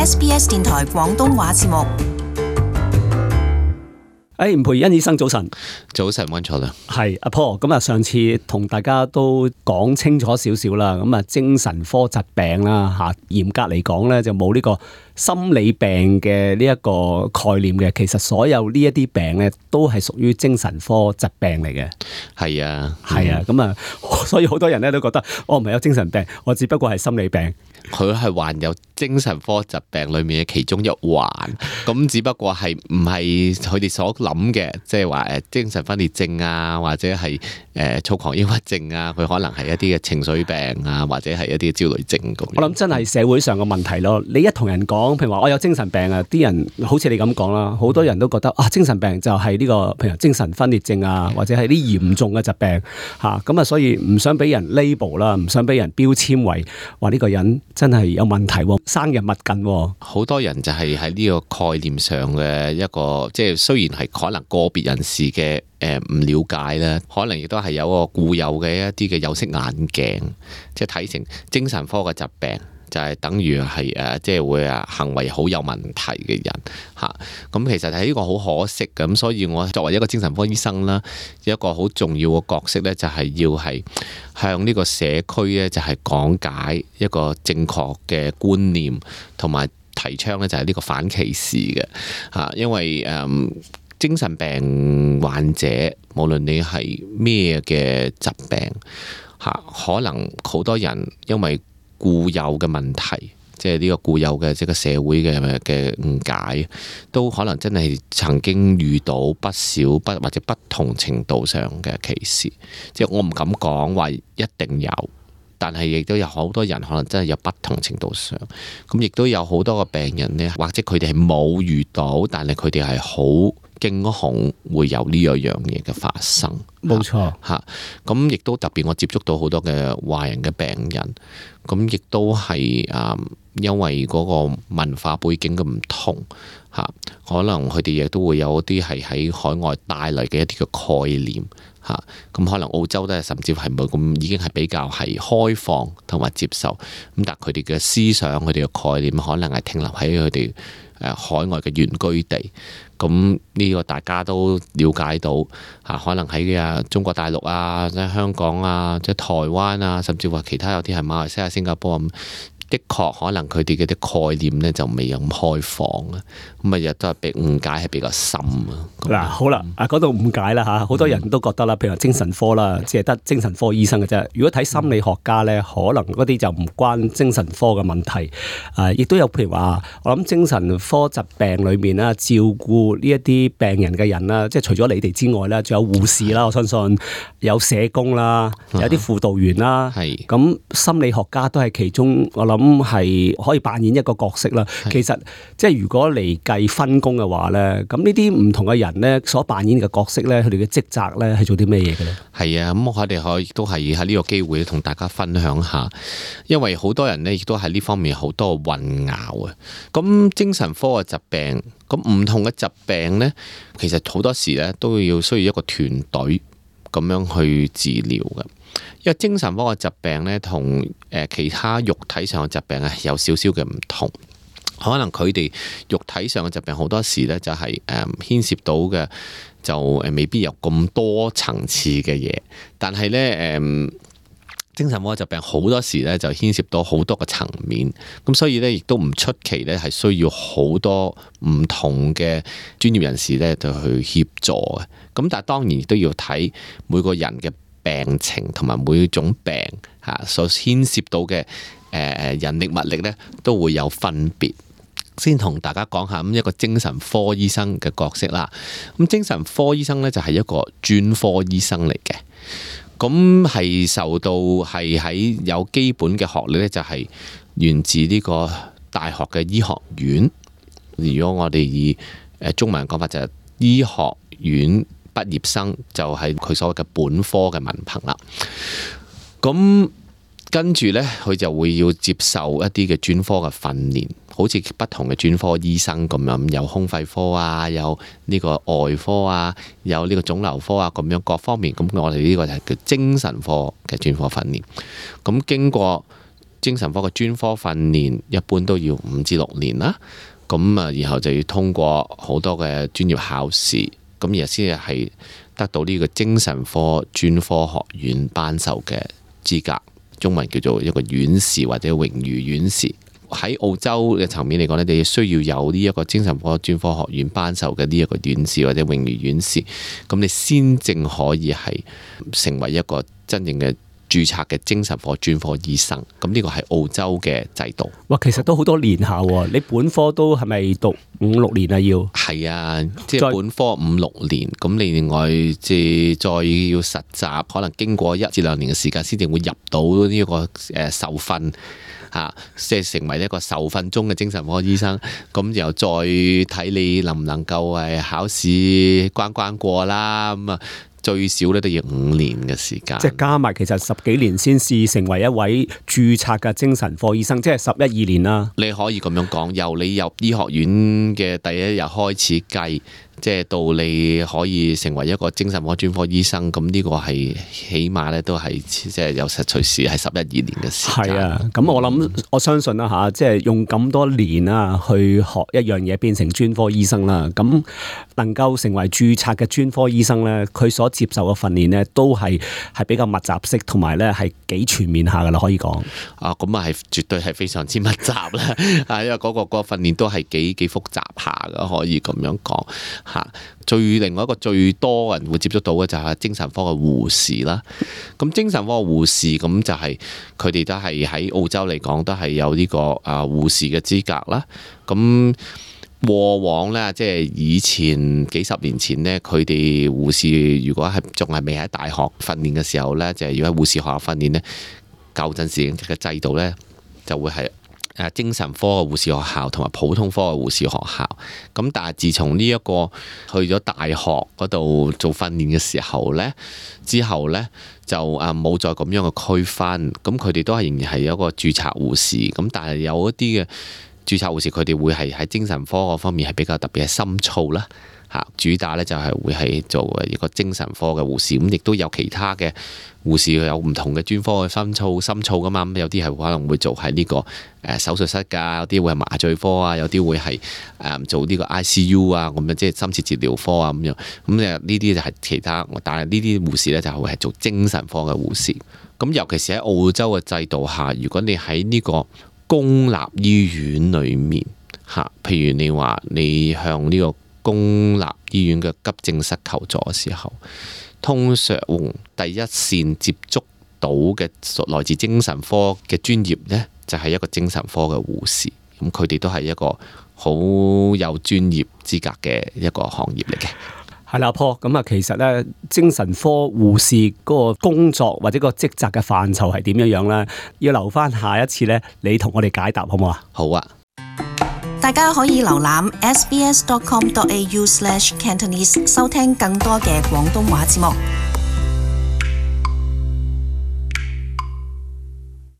SBS 電台廣東話節目。吳培恩醫生早晨。早晨，溫楚良。係阿 Paul，咁啊，上次同大家都講清楚少少啦。咁啊，精神科疾病啦，吓，嚴格嚟講咧就冇呢個心理病嘅呢一個概念嘅。其實所有呢一啲病咧都係屬於精神科疾病嚟嘅。係啊，係啊，咁啊，所以好多人咧都覺得我唔係有精神病，我只不過係心理病。佢係患有精神科疾病裏面嘅其中一環，咁只不過係唔係佢哋所諗嘅，即係話精神分裂症啊，或者係躁狂抑鬱症啊，佢可能係一啲嘅情緒病啊，或者係一啲焦慮症咁。我諗真係社會上嘅問題咯。你一同人講，譬如話我有精神病啊，啲人好似你咁講啦，好多人都覺得啊，精神病就係呢個譬如精神分裂症啊，或者係啲嚴重嘅疾病嚇，咁啊，所以唔想俾人 label 啦，唔想俾人標籤為話呢個人真係有問題喎，生人勿近喎。好多人就係喺呢個概念上嘅一個，即係雖然係可能個別人士嘅唔了解啦，可能亦都係有個固有嘅一啲嘅有色眼鏡，即係睇成精神科嘅疾病就係等於係即係會行為好有問題嘅人嚇。咁其實係呢個好可惜嘅。咁所以我作為一個精神科醫生啦，一個好重要嘅角色咧，就係要係向呢個社區咧，就係講解一個正確嘅觀念，同埋提倡咧就係呢個反歧視嘅嚇。因為精神病患者無論你係咩嘅疾病嚇，可能好多人因為固有嘅問題，即係呢個固有嘅即係個社會嘅誤解，都可能真係曾經遇到不少或者不同程度上嘅歧視。即係我唔敢講話一定有，但係亦都有好多人可能真係有不同程度上。咁亦都有好多個病人呢，或者佢哋係冇遇到，但係佢哋係好驚恐會有呢樣嘢嘅發生。冇錯嚇，咁亦都特別我接觸到好多嘅華人嘅病人，咁亦都係因為嗰個文化背景嘅唔同嚇，可能佢哋亦都會有啲係喺海外帶嚟嘅一啲嘅概念嚇，咁可能澳洲都係甚至係冇咁已經係比較係開放同埋接受，咁但係佢哋嘅思想佢哋嘅概念可能係停留喺佢哋海外嘅原居地。咁呢個大家都了解到嚇，可能喺中國大陸啊、即係香港啊、即係台灣啊，甚至話其他有啲係馬來西亞、新加坡咁，的確可能佢哋嘅啲概念咧就未有咁開放啊，咁亦都係被誤解係比較深啊。嗱，好啦，講到誤解啦嚇，好多人都覺得啦，譬如話精神科啦，只係得精神科醫生嘅啫。如果睇心理學家咧，可能嗰啲就唔關精神科嘅問題。亦都有譬如話，我諗精神科疾病裏面啦，照顧呢一啲病人嘅人啦，即係除咗你哋之外啦，仲有護士啦，我相信有社工啦，有啲輔導員啦，係咁心理學家都係其中，我諗係可以扮演一個角色啦。其實即係如果嚟計分工嘅話咧，咁呢啲唔同嘅人咧所扮演嘅角色咧，佢哋嘅職責咧係做啲咩嘢嘅咧？係啊，咁我哋可以都係喺呢個機會同大家分享下，因為好多人咧亦都喺呢方面好多混淆啊。咁精神科嘅疾病，咁唔同嘅疾病咧，其實好多時咧都要需要一個團隊咁樣去治療嘅。因為精神科嘅疾病咧，同其他肉體上嘅疾病係有少少嘅唔同。可能佢哋肉體上嘅疾病好多時咧就係牽涉到嘅就未必有咁多層次嘅嘢，但係咧精神科疾病好多時咧就牽涉到好多個層面，咁所以咧亦都唔出奇咧係需要好多唔同嘅專業人士咧就去協助嘅。咁但係當然亦都要睇每個人嘅病情同埋每種病所牽涉到嘅人力物力咧都會有分別。先同大家講下咁一個精神科醫生嘅角色啦。咁精神科醫生咧就係一個專科醫生嚟嘅，咁係受到係喺有基本嘅學歷咧，就係源自呢個大學嘅醫學院。如果我哋以中文講法就係醫學院畢業生，就係佢所謂嘅本科嘅文憑啦。咁跟住咧，佢就會要接受一啲嘅專科嘅訓練。好似不同嘅專科醫生咁樣，有胸肺科啊，有呢個外科啊，有呢個腫瘤科啊，咁樣各方面。咁我哋呢個就係叫精神科嘅專科訓練。咁經過精神科嘅專科訓練一般都要5至6年啦。咁啊，然後就要通過好多嘅專業考試，咁然後先至係得到呢個精神科專科學院頒授嘅資格，中文叫做一個院士或者榮譽院士。喺澳洲嘅層面嚟講咧，你需要有呢一個精神科專科學院頒授嘅呢一個院士或者榮譽院士，咁你先正可以係成為一個真正嘅註冊嘅精神科專科醫生。咁呢個係澳洲嘅制度。哇，其實都好多年下喎，你本科都係咪讀5-6年啊？要係啊，即係本科5-6年，咁你另外即係再要實習，可能經過1至2年嘅時間，先至會入到呢個受訓。即係成為一個受訓中嘅精神科醫生，咁又再睇你能唔能夠考試關過啦。咁啊，最少咧都要5年嘅時間。即係加埋，其實10幾年先至成為一位註冊嘅精神科醫生，即係11-12年啦。你可以咁樣講，由你入醫學院嘅第一日開始計，即係到你可以成為一個精神科專科醫生，咁呢個係起碼咧都係即係有隨時係11-12年嘅時間。係啊，咁我相信啦嚇，即係用咁多年啊去學一樣嘢變成專科醫生啦，咁能夠成為註冊嘅專科醫生咧，佢所接受嘅訓練咧都係比較密集式，同埋咧係幾全面下噶啦，可以講。咁啊係絕對係非常之密集啦，因為嗰個訓練都係幾複雜下噶，可以咁樣講。另外一個最多人會接觸到嘅就係精神科嘅護士啦。咁精神科嘅護士咁就係佢哋都係喺澳洲嚟講都係有呢個護士嘅資格啦。咁過往呢，即係以前幾十年前呢，佢哋護士如果係仲係未喺大學訓練嘅時候呢，就係要喺護士學校訓練呢。舊陣時嘅制度呢，就會係精神科嘅護士學校同埋普通科嘅護士學校。咁但係自從呢一個去咗大學嗰度做訓練嘅時候呢，之後呢就冇再咁樣嘅區分。咁佢哋都係仍然係一個註冊護士。咁但係有一啲嘅註冊護士，佢哋會係喺精神科嗰方面係比較特別係深造啦。主打咧就係會係做一個精神科嘅護士，咁亦都有其他嘅護士有唔同嘅專科嘅深造噶嘛。咁有啲係可能會做喺呢個手術室㗎，有啲會係麻醉科啊，有啲會係做呢個 ICU 啊，咁樣即係深切治療科啊咁樣。咁呢啲就係其他，但係呢啲護士咧就會係做精神科嘅護士。咁尤其是喺澳洲嘅制度下，如果你喺呢個公立醫院裏面譬如你話你向呢個公立醫院嘅急症室求助嘅時候，通常第一線接觸到嘅來自精神科嘅專業呢，就係一個精神科嘅護士。咁佢哋都係一個好有專業資格嘅一個行業嚟嘅。係啦，Paul，咁啊，其實咧，精神科護士嗰個工作或者個職責嘅範疇係點樣咧？要留翻下一次咧，你同我哋解答好唔好啊？好啊！大家可以瀏覽 sbs.com.au/cantonese 收聽更多嘅廣東話節目。